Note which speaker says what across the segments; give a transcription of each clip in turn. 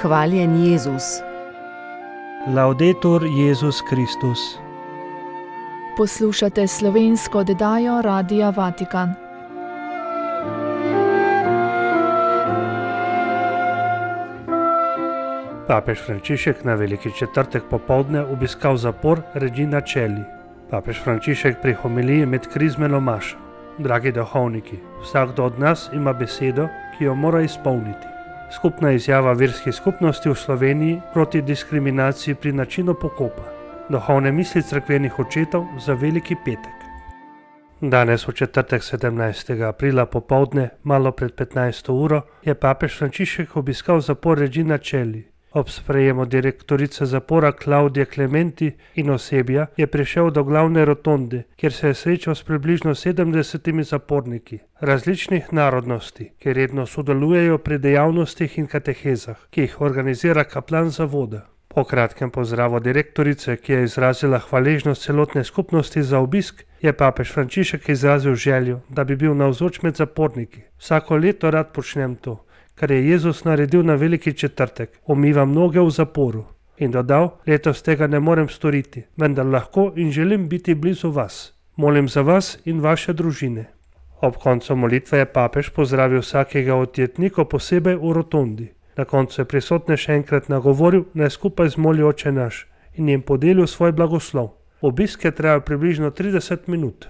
Speaker 1: Hvaljen Jezus.
Speaker 2: Laudetur Jezus Kristus.
Speaker 3: Poslušate slovensko oddajo Radia Vatikan.
Speaker 2: Papež Frančišek na Veliki četrtek popoldne obiskal zapor Regina Coeli. Papež Frančišek pri homiliji med krizmeno mašo. Dragi duhovniki, vsakdo od nas ima besedo, ki jo mora izpolniti. Skupna izjava verskih skupnosti v Sloveniji proti diskriminaciji pri načinu pokopa. Duhovne misli cerkvenih očetov za Veliki petek. Danes v četrtek 17. aprila popoldne, malo pred 15. uro, je papež Frančišek obiskal zapor Regina Coeli. Ob sprejemu direktorice zapora Claudije Clementi in osebja je prišel do glavne rotonde, kjer se je srečal s približno 70 zaporniki različnih narodnosti, ki redno sodelujejo pri dejavnostih in katehezah, ki jih organizira kaplan zavoda. Po kratkem pozdravu direktorice, ki je izrazila hvaležnost celotne skupnosti za obisk, je papež Frančišek izrazil željo, da bi bil navzoč med zaporniki. Vsako leto rad počnem to, kar je Jezus naredil na Veliki četrtek, umivam noge v zaporu. In dodal, letos tega ne morem storiti, vendar lahko in želim biti blizu vas. Molim za vas in vaše družine. Ob koncu molitve je papež pozdravil vsakega od jetnikov posebej v rotondi. Na koncu je prisotne še enkrat nagovoril, naj skupaj zmolijo Oče naš in jim podelil svoj blagoslov. Obisk je trajal približno 30 minut.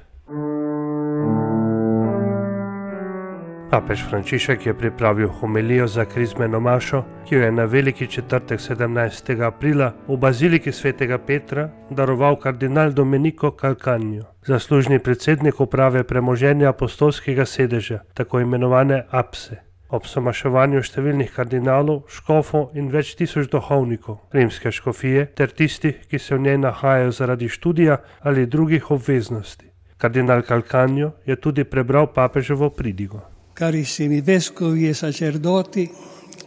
Speaker 2: Papež Frančišek je pripravil homilijo za krizmeno mašo, ki jo je na Veliki četrtek 17. aprila v baziliki svetega Petra daroval kardinal Domenico Calcagno, zaslužni predsednik uprave premoženja apostolskega sedeža, tako imenovane APSE. Ob somaševanju številnih kardinalov, škofov in več tisoč duhovnikov, rimske škofije ter tistih, ki se v njej nahajajo zaradi študija ali drugih obveznosti. Kardinal Calcagno je tudi prebral papeževo pridigo.
Speaker 4: Carissimi vescovi e sacerdoti,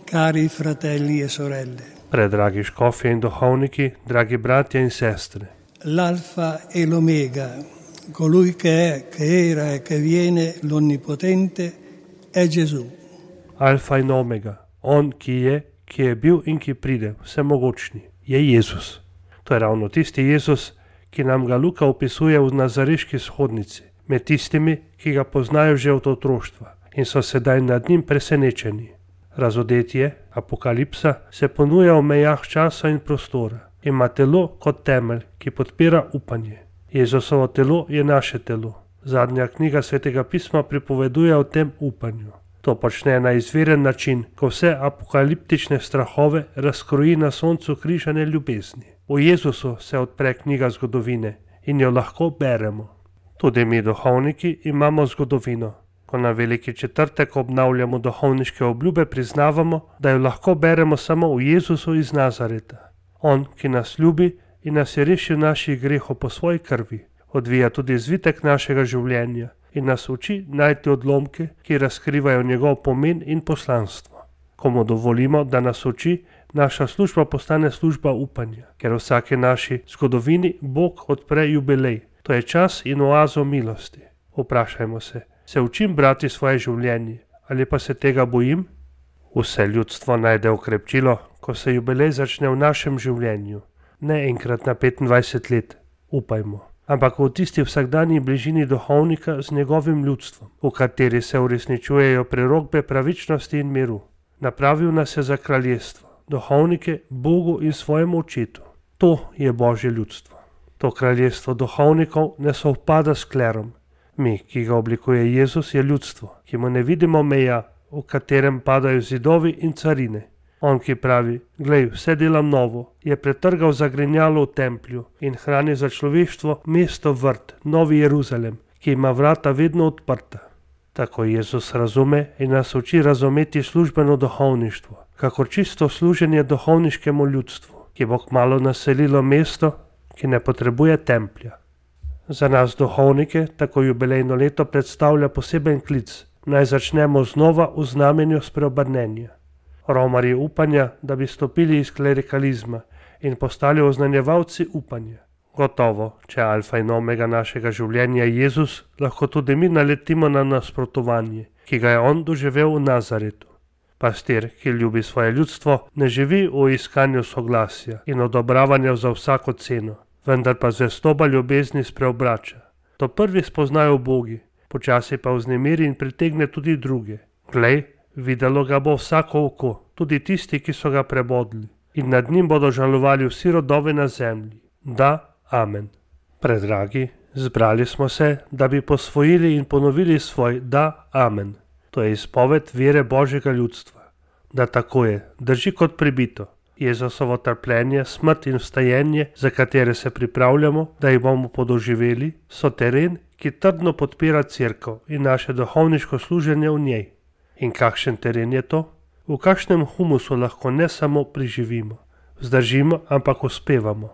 Speaker 4: cari fratelli e sorelle.
Speaker 2: Predragi škofje in duhovniki, dragi bratje in sestre.
Speaker 4: L'alfa e l'omega, colui che è, che era e che viene, l'onnipotente, è Gesù.
Speaker 2: Alfa in omega, on, ki je bil in ki pride, vsemogočni, je Jezus. To je ravno tisti Jezus, ki nam ga Luka opisuje v nazareški shodnici, med tistimi, ki ga poznajo že od otroštva in so sedaj nad njim presenečeni. Razodetje, apokalipsa, se ponuja v mejah časa in prostora. Ima telo kot temelj, ki podpira upanje. Jezusovo telo je naše telo. Zadnja knjiga Svetega pisma pripoveduje o tem upanju. To počne na izviren način, ko vse apokaliptične strahove razkroji na soncu križane ljubezni. V Jezusu se odpre knjiga zgodovine in jo lahko beremo. Tudi mi duhovniki imamo zgodovino. Ko na Veliki četrtek obnavljamo duhovniške obljube, priznavamo, da jo lahko beremo samo v Jezusu iz Nazareta. On, ki nas ljubi in nas je rešil naših grehov po svoji krvi, odvija tudi zvitek našega življenja in nas uči najti odlomke, ki razkrivajo njegov pomen in poslanstvo. Ko mu dovolimo, da nas uči, naša služba postane služba upanja, ker v vsaki naši zgodovini Bog odpre jubilej. To je čas in oazo milosti. Vprašajmo se učim brati svoje življenje ali pa se tega bojim? Vse ljudstvo najde okrepčilo, ko se jubilej začne v našem življenju. Ne enkrat na 25 let, upajmo, ampak v tisti vsakdanji bližini duhovnika z njegovim ljudstvom, v kateri se uresničujejo prerokbe pravičnosti in miru. Napravil nas je za kraljestvo, duhovnike Bogu in svojemu očetu. To je Božje ljudstvo. To kraljestvo duhovnikov ne sovpada s klerom. Mi, ki ga oblikuje Jezus, je ljudstvo, ki mu ne vidimo meja, v katerem padajo zidovi in carine. On, ki pravi, glej, vse delam novo, je pretrgal zagrinjalo v templju in hrani za človeštvo mesto vrt, Novi Jeruzalem, ki ima vrata vedno odprta. Tako Jezus razume in nas uči razumeti službeno duhovništvo, kakor čisto služenje duhovniškemu ljudstvu, ki bo kmalu naselilo mesto, ki ne potrebuje templja. Za nas duhovnike tako jubilejno leto predstavlja poseben klic, naj začnemo znova v znamenju spreobrnenja. Romarji upanja, da bi stopili iz klerikalizma in postali oznanjevalci upanja. Gotovo, če alfa in omega našega življenja je Jezus, lahko tudi mi naletimo na nasprotovanje, ki ga je on doživel v Nazaretu. Pastir, ki ljubi svoje ljudstvo, ne živi v iskanju soglasja in odobravanja za vsako ceno, vendar pa zvestoba ljubezni spreobrača. To prvi spoznajo Bogi, počasi pa vznemiri in pritegne tudi druge. Glej, videlo ga bo vsako oko, tudi tisti, ki so ga prebodli, in nad njim bodo žalovali vsi rodovi na zemlji. Da, amen. Predragi, zbrali smo se, da bi posvojili in ponovili svoj da, amen. To je izpoved vere Božjega ljudstva. Da tako je, drži kot pribito. Jezusovo trpljenje, smrt in vstajenje, za katere se pripravljamo, da jih bomo podoživeli, so teren, ki trdno podpira cerkev in naše duhovniško služenje v njej. In kakšen teren je to? V kakšnem humusu lahko ne samo preživimo, vzdržimo, ampak uspevamo.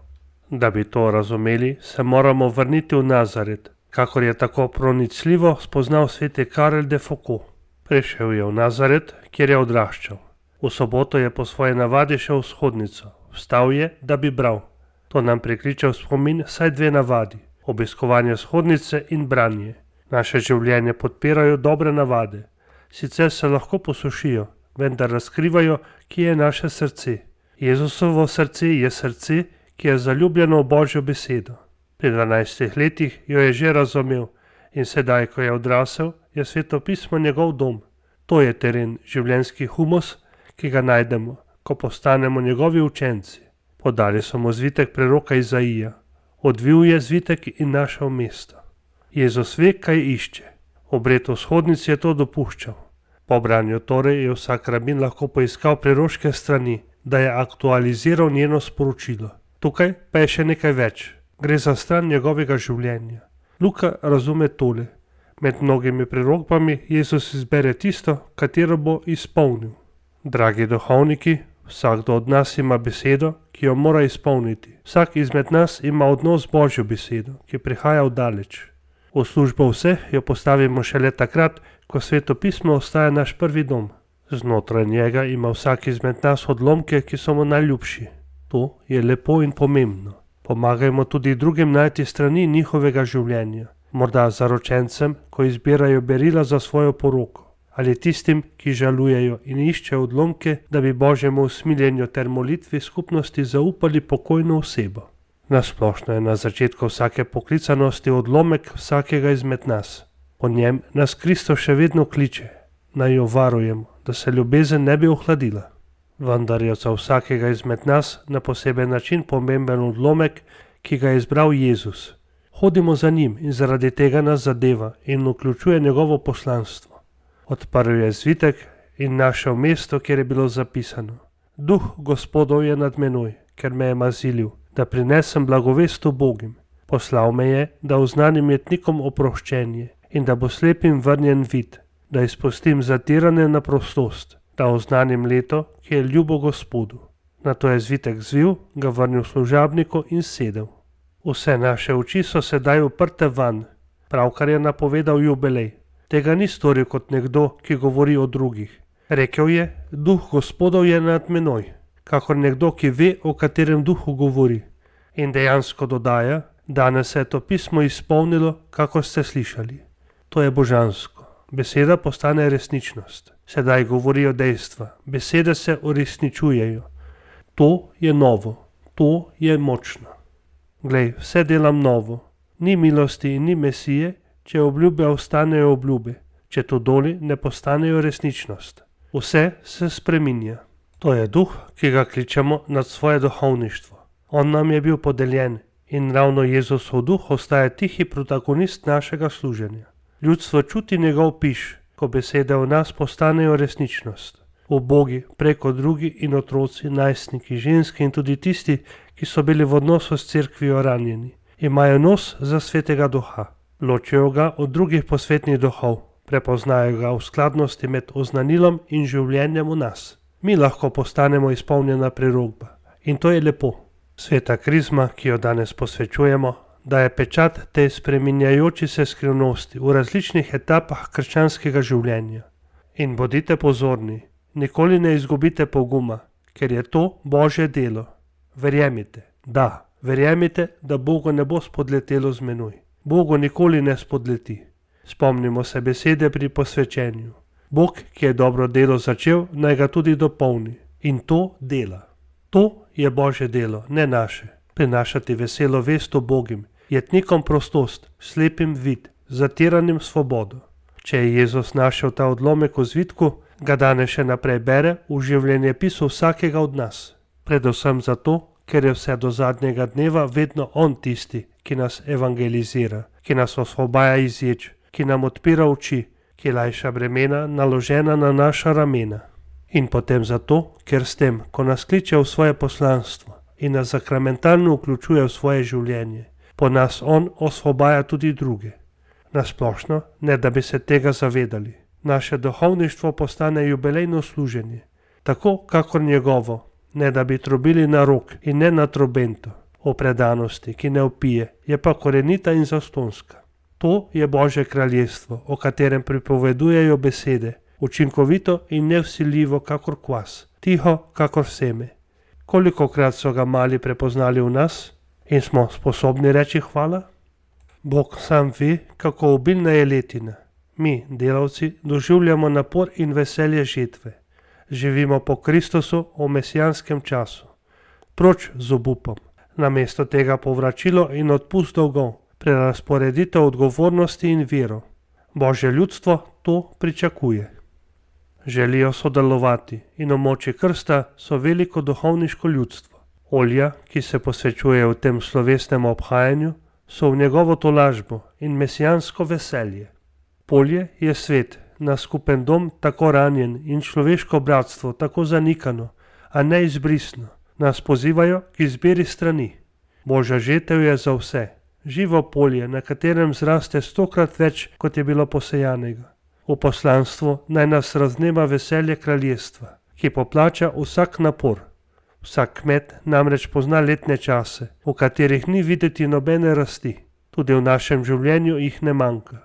Speaker 2: Da bi to razumeli, se moramo vrniti v Nazaret, kakor je tako pronicljivo spoznal sveti Karel de Foucault. Prišel je v Nazaret, kjer je odraščal. V soboto je po svoje navadi šel v shodnico. Vstal je, da bi bral. To nam prikliče v spomin vsaj dve navadi: obiskovanje shodnice in branje. Naše življenje podpirajo dobre navade. Sicer se lahko posušijo, vendar razkrivajo, kje je naše srce. Jezusovo srce je srce, ki je zaljubljeno v Božjo besedo. Pri 12 letih jo je že razumel in sedaj, ko je odrasel, je Sveto pismo njegov dom. To je teren, življenjski humus, ki ga najdemo, ko postanemo njegovi učenci. Podali so mu zvitek preroka Izaija. Odvil je zvitek in našel mesto. Jezus ve, kaj išče. Obred v shodnici je to dopuščal. Po branju torej je vsak rabin lahko poiskal preroške strani, da je aktualiziral njeno sporočilo. Tukaj pa je še nekaj več. Gre za stran njegovega življenja. Luka razume tole. Med mnogimi prerokbami Jezus izbere tisto, katero bo izpolnil. Dragi duhovniki, vsakdo od nas ima besedo, ki jo mora izpolniti. Vsak izmed nas ima odnos z Božjo besedo, ki prihaja oddaleč. V službo vseh jo postavimo šele takrat, ko Sveto pismo ostaja naš prvi dom. Znotraj njega ima vsak izmed nas odlomke, ki so mu najljubši. To je lepo in pomembno. Pomagajmo tudi drugim najti strani njihovega življenja. Morda zaročencem, ko izbirajo berila za svojo poroko, ali tistim, ki žalujejo in iščejo odlomke, da bi Božjemu usmiljenju ter molitvi skupnosti zaupali pokojno osebo. Nasplošno je na začetku vsake poklicanosti odlomek vsakega izmed nas. Po njem nas Kristus še vedno kliče, naj jo varujemo, da se ljubezen ne bi ohladila. Vendar je za vsakega izmed nas na poseben način pomemben odlomek, ki ga je izbral Jezus. Hodimo za njim in zaradi tega nas zadeva in vključuje njegovo poslanstvo. Odprl je zvitek in našel mesto, kjer je bilo zapisano: Duh Gospodov je nad menoj, ker me je mazilil, da prinesem blagovest ubogim. Poslal me je, da oznanim jetnikom oproščenje in da bo slepim vrnjen vid, da izpustim zatirane na prostost, da oznanim leto, ki je ljubo Gospodu. Nato je zvitek zvil, ga vrnil služabniku in sedel. Vse naše oči so sedaj uprte van. Pravkar je napovedal jubilej. Tega ni storil kot nekdo, ki govori o drugih. Rekel je: Duh Gospodov je nad menoj, kakor nekdo, ki ve, o katerem duhu govori. In dejansko dodaja: danes se je to pismo izpolnilo, kakor ste slišali. To je božansko. Beseda postane resničnost. Sedaj govorijo dejstva. Besede se uresničujejo. To je novo. To je močno. Glej, vse delam novo. Ni milosti in ni mesije, če obljube ostanejo obljube, če to doli ne postanejo resničnost. Vse se spreminja. To je duh, ki ga kličemo nad svoje duhovništvo. On nam je bil podeljen in ravno Jezusov duh ostaja tihi protagonist našega služenja. Ljudstvo čuti njegov piš, ko besede v nas postanejo resničnost. Ubogi, preko drugi in otroci, najstniki, ženske in tudi tisti, ki so bili v odnosu s cerkvijo ranjeni, imajo nos za svetega duha. Ločijo ga od drugih posvetnih duhov, prepoznajo ga v skladnosti med oznanilom in življenjem v nas. Mi lahko postanemo izpolnjena prerokba in to je lepo. Sveta krizma, ki jo danes posvečujemo, daje pečat tej spreminjajoči se skrivnosti v različnih etapah krščanskega življenja. In bodite pozorni, nikoli ne izgubite poguma, ker je to Božje delo. Verjemite, da Bogu ne bo spodletelo z menoj. Bogu nikoli ne spodleti. Spomnimo se besede pri posvečenju. Bog, ki je dobro delo začel, naj ga tudi dopolni. In to dela. To je Božje delo, ne naše. Prinašati veselo vest o Bogim, jetnikom prostost, slepim vid, zatiranim svobodo. Če je Jezus našel ta odlomek v zvitku, ga danes še naprej bere v življenjepisu vsakega od nas. Predvsem zato, ker je vse do zadnjega dneva vedno On tisti, ki nas evangelizira, ki nas osvobaja iz ječ, ki nam odpira oči, ki lajša bremena naložena na naša ramena. In potem zato, ker s tem, ko nas kliče v svoje poslanstvo in nas sakramentalno vključuje v svoje življenje, po nas On osvobaja tudi druge. Nasplošno, ne da bi se tega zavedali, naše duhovništvo postane jubilejno služenje, tako kakor njegovo, ne da bi trobili na rok in ne na trobento, o predanosti, ki ne vpije, je pa korenita in zastonska. To je Božje kraljestvo, o katerem pripovedujejo besede, učinkovito in nevsiljivo kakor kvas, tiho kakor seme. Kolikokrat so ga mali prepoznali v nas in smo sposobni reči hvala? Bog sam ve, kako obilna je letina. Mi, delavci, doživljamo napor in veselje žetve. Živimo po Kristusu v mesijanskem času. Proč z obupom, namesto tega povračilo in odpust dolgov, prerazporeditev odgovornosti in vero. Božje ljudstvo to pričakuje. Želijo sodelovati in v moči krsta so veliko duhovniško ljudstvo. Olja, ki se posvečuje v tem slovesnem obhajanju, so v njegovo tolažbo in mesijansko veselje. Polje je svet, na skupen dom tako ranjen in človeško bratstvo tako zanikano, a ne izbrisno, nas pozivajo k izbiri strani. Božja žetev je za vse, živo polje, na katerem zraste 100-krat več, kot je bilo posejanega. V poslanstvu naj nas raznema veselje kraljestva, ki poplača vsak napor. Vsak kmet namreč pozna letne čase, v katerih ni videti nobene rasti, tudi v našem življenju jih ne manjka.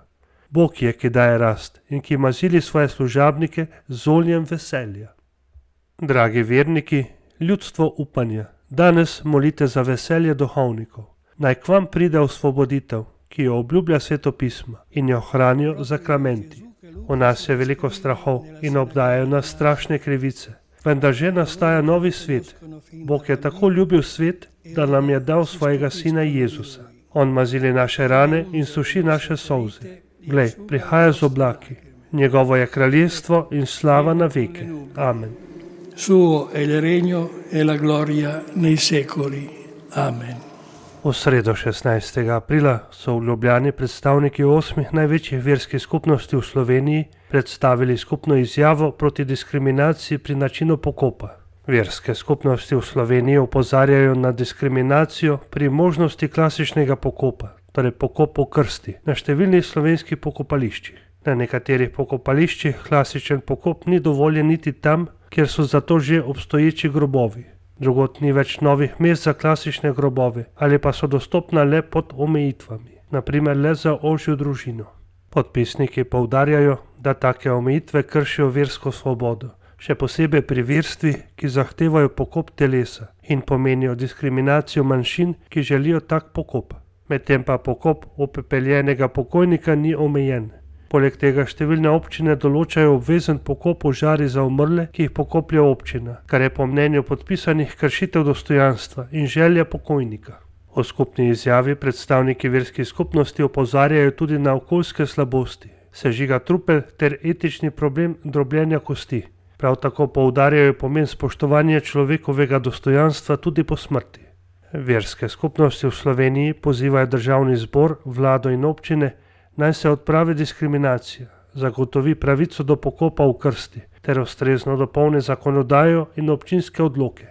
Speaker 2: Bog je, ki daje rast in ki mazili svoje služabnike z oljem veselja. Dragi verniki, ljudstvo upanja, danes molite za veselje duhovnikov. Naj k vam pride osvoboditev, ki jo obljublja svetopisma in jo hranijo zakramenti. V nas je veliko strahov in obdajajo nas strašne krivice, vendar že nastaja novi svet. Bog je tako ljubil svet, da nam je dal svojega sina Jezusa. On mazili naše rane in suši naše solze. Glej, prihaja z oblaki. Njegovo je kraljestvo in slava na veke. Amen.
Speaker 4: Suo è il regno e la gloria nei secoli. Amen.
Speaker 2: V sredo 16. aprila so v Ljubljani predstavniki 8 največjih verskih skupnosti v Sloveniji predstavili skupno izjavo proti diskriminaciji pri načinu pokopa. Verske skupnosti v Sloveniji opozarjajo na diskriminacijo pri možnosti klasičnega pokopa, torej pokop v krsti, na številnih slovenskih pokopališčih. Na nekaterih pokopališčih klasičen pokop ni dovoljen niti tam, kjer so zato že obstoječi grobovi. Drugod ni več novih mest za klasične grobove ali pa so dostopna le pod omejitvami, naprimer le za ožjo družino. Podpisniki poudarjajo, da take omejitve kršijo versko svobodo, še posebej pri verstvih, ki zahtevajo pokop telesa in pomenijo diskriminacijo manjšin, ki želijo tak pokop. Medtem pa pokop upepeljenega pokojnika ni omejen. Poleg tega številne občine določajo obvezen pokop v žari za umrle, ki jih pokoplje občina, kar je po mnenju podpisanih kršitev dostojanstva in želja pokojnika. V skupni izjavi predstavniki verskih skupnosti opozarjajo tudi na okoljske slabosti, sežiga trupel ter etični problem drobljenja kosti. Prav tako poudarjajo pomen spoštovanja človekovega dostojanstva tudi po smrti. Verske skupnosti v Sloveniji pozivajo državni zbor, vlado in občine, naj se odpravi diskriminacija, zagotovi pravico do pokopa v krsti ter ustrezno dopolni zakonodajo in občinske odloke.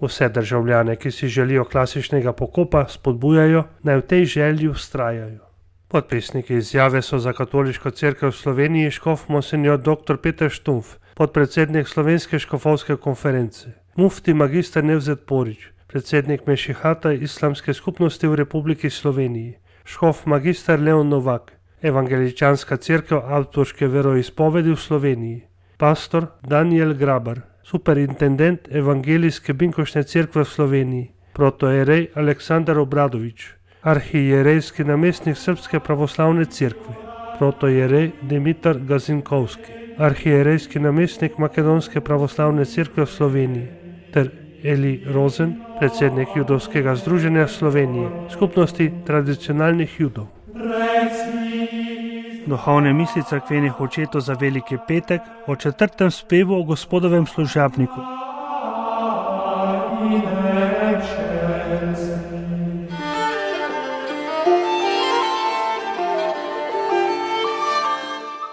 Speaker 2: Vse državljane, ki si želijo klasičnega pokopa, spodbujajo, naj v tej želji vztrajajo. Podpisniki izjave so za Katoliško cerkev v Sloveniji škof monsinjor dr. Peter Štumpf, podpredsednik Slovenske škofovske konference, mufti magister Nevzet Porić, predsednik Mešihata islamske skupnosti v Republiki Sloveniji, škof magister Leon Novak, Evangeličanska cerkev Augsburške veroizpovedi v Sloveniji, pastor Daniel Grabar, superintendent Evangelijske Binkošne cerkve v Sloveniji, protojerej Aleksandar Obradović, arhijerejski namestnik Srpske pravoslavne cerkve, protojerej Dimitar Gazinkovski. arhierejski namestnik Makedonske pravoslavne cerkve v Sloveniji, ter Eli Rozen, predsednik Judovskega združenja Slovenije, skupnosti tradicionalnih Judov.
Speaker 1: Duhovne misli cerkvenih očetov za veliki petek o 4. spevu o Gospodovem služabniku.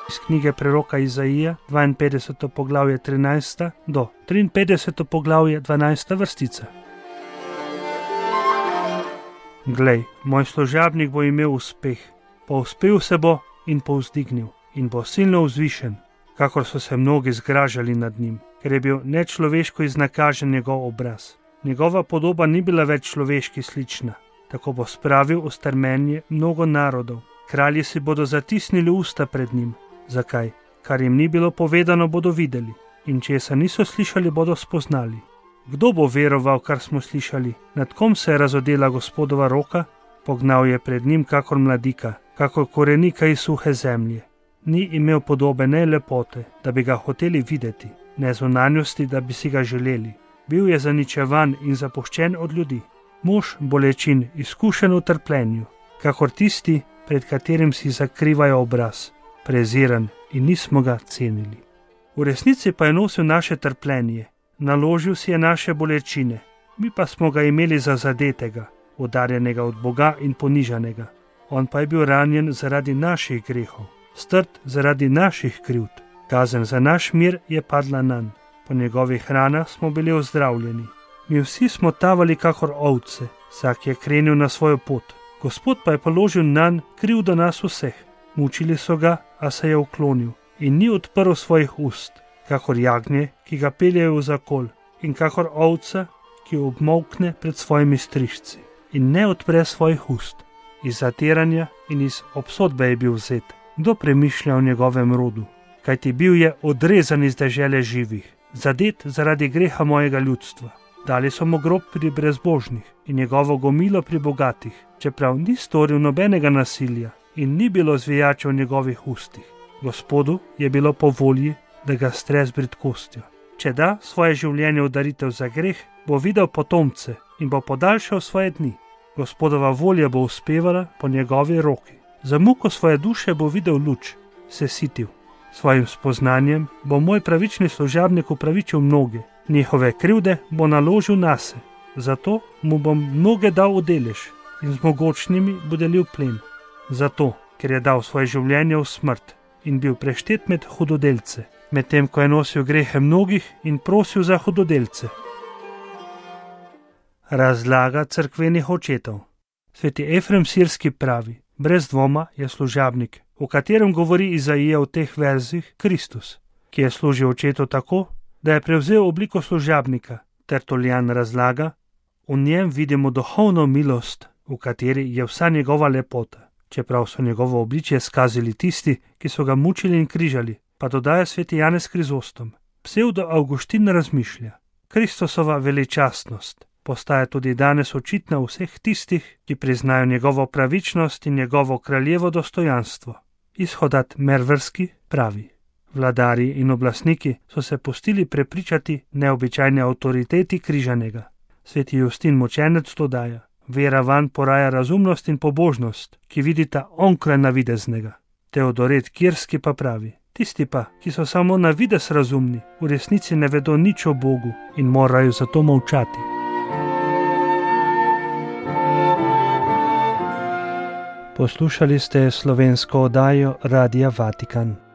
Speaker 1: Iz knjige preroka Izaija, 52. poglavje 13. do 53. poglavje 12. vrstica. Glej, moj služabnik bo imel uspeh, povzpel se bo in povzdignil in bo silno vzvišen, kakor so se mnogi zgražali nad njim, ker je bil nečloveško iznakažen njegov obraz. Njegova podoba ni bila več človeški slična, tako bo spravil v strmenje mnogo narodov. Kralji si bodo zatisnili usta pred njim. Zakaj? Kar jim ni bilo povedano, bodo videli, in česa niso slišali, bodo spoznali. Kdo bo veroval, kar smo slišali? Nad kom se je razodela Gospodova roka? Pognal je pred njim kakor mladika, kakor korenika iz suhe zemlje. Ni imel podobe ne lepote, da bi ga hoteli videti, ne zunanjosti, da bi si ga želeli. Bil je zaničevan in zapuščen od ljudi. Mož bolečin, izkušen v trpljenju, kakor tisti, pred katerim si zakrivajo obraz. Preziran in nismo ga cenili. V resnici pa je nosil naše trpljenje, naložil si je naše bolečine, mi pa smo ga imeli za zadetega, udarjenega od Boga in ponižanega. On pa je bil ranjen zaradi naših grehov, strt zaradi naših krivd. Kazen za naš mir je padla nanj, po njegovih ranah smo bili ozdravljeni. Mi vsi smo tavali kakor ovce, vsak je krenil na svojo pot. Gospod pa je položil nanj krivdo nas vseh. Mučili so ga, a se je uklonil in ni odprl svojih ust, kakor jagnje, ki ga peljejo v zakol, in kakor ovca, ki obmolkne pred svojimi strižci in ne odpre svojih ust. Iz zatiranja in iz obsodbe je bil vzet. Kdo premišlja o njegovem rodu? Kajti bil je odrezan iz dežele živih, zadet zaradi greha mojega ljudstva. Dali so mu grob pri brezbožnih in njegovo gomilo pri bogatih, čeprav ni storil nobenega nasilja in ni bilo zvijača v njegovih ustih. Gospodu je bilo po volji, da ga stre z bridkostjo. Če da svoje življenje v daritev za greh, bo videl potomce in bo podaljšal svoje dni. Gospodova volja bo uspevala po njegovi roki. Za muko svoje duše bo videl luč, se sitil. Svojim spoznanjem bo moj pravični služabnik upravičil mnoge, njihove krivde bo naložil nase. Zato mu bom mnoge dal v delež in z mogočnimi bo delil plen. Zato, ker je dal svoje življenje v smrt in bil preštet med hudodelce, medtem ko je nosil grehe mnogih in prosil za hudodelce. Razlaga cerkvenih očetov. Sveti Efrem Sirski pravi: brez dvoma je služabnik, o katerem govori Izaija v teh verzih, Kristus, ki je služil očetu tako, da je prevzel obliko služabnika. Tertuljan razlaga: v njem vidimo duhovno milost, v kateri je vsa njegova lepota. Čeprav so njegovo obličje skazili tisti, ki so ga mučili in križali, pa dodaja sveti Janez Krizostom. Psevdo Avguštin razmišlja: Kristusova veličastnost postaja tudi danes očitna vseh tistih, ki priznajo njegovo pravičnost in njegovo kraljevo dostojanstvo. Izhodat Mervrski pravi: vladarji in oblastniki so se pustili prepričati neobičajne avtoriteti križanega. Sveti Justin Mučenec dodaja: vera vanj poraja razumnost in pobožnost, ki vidita onkraj navideznega. Teodoret Kirski pa pravi: tisti pa, ki so samo navidez razumni, v resnici ne vedo nič o Bogu in morajo zato molčati. Poslušali ste slovensko oddajo Radia Vatikan.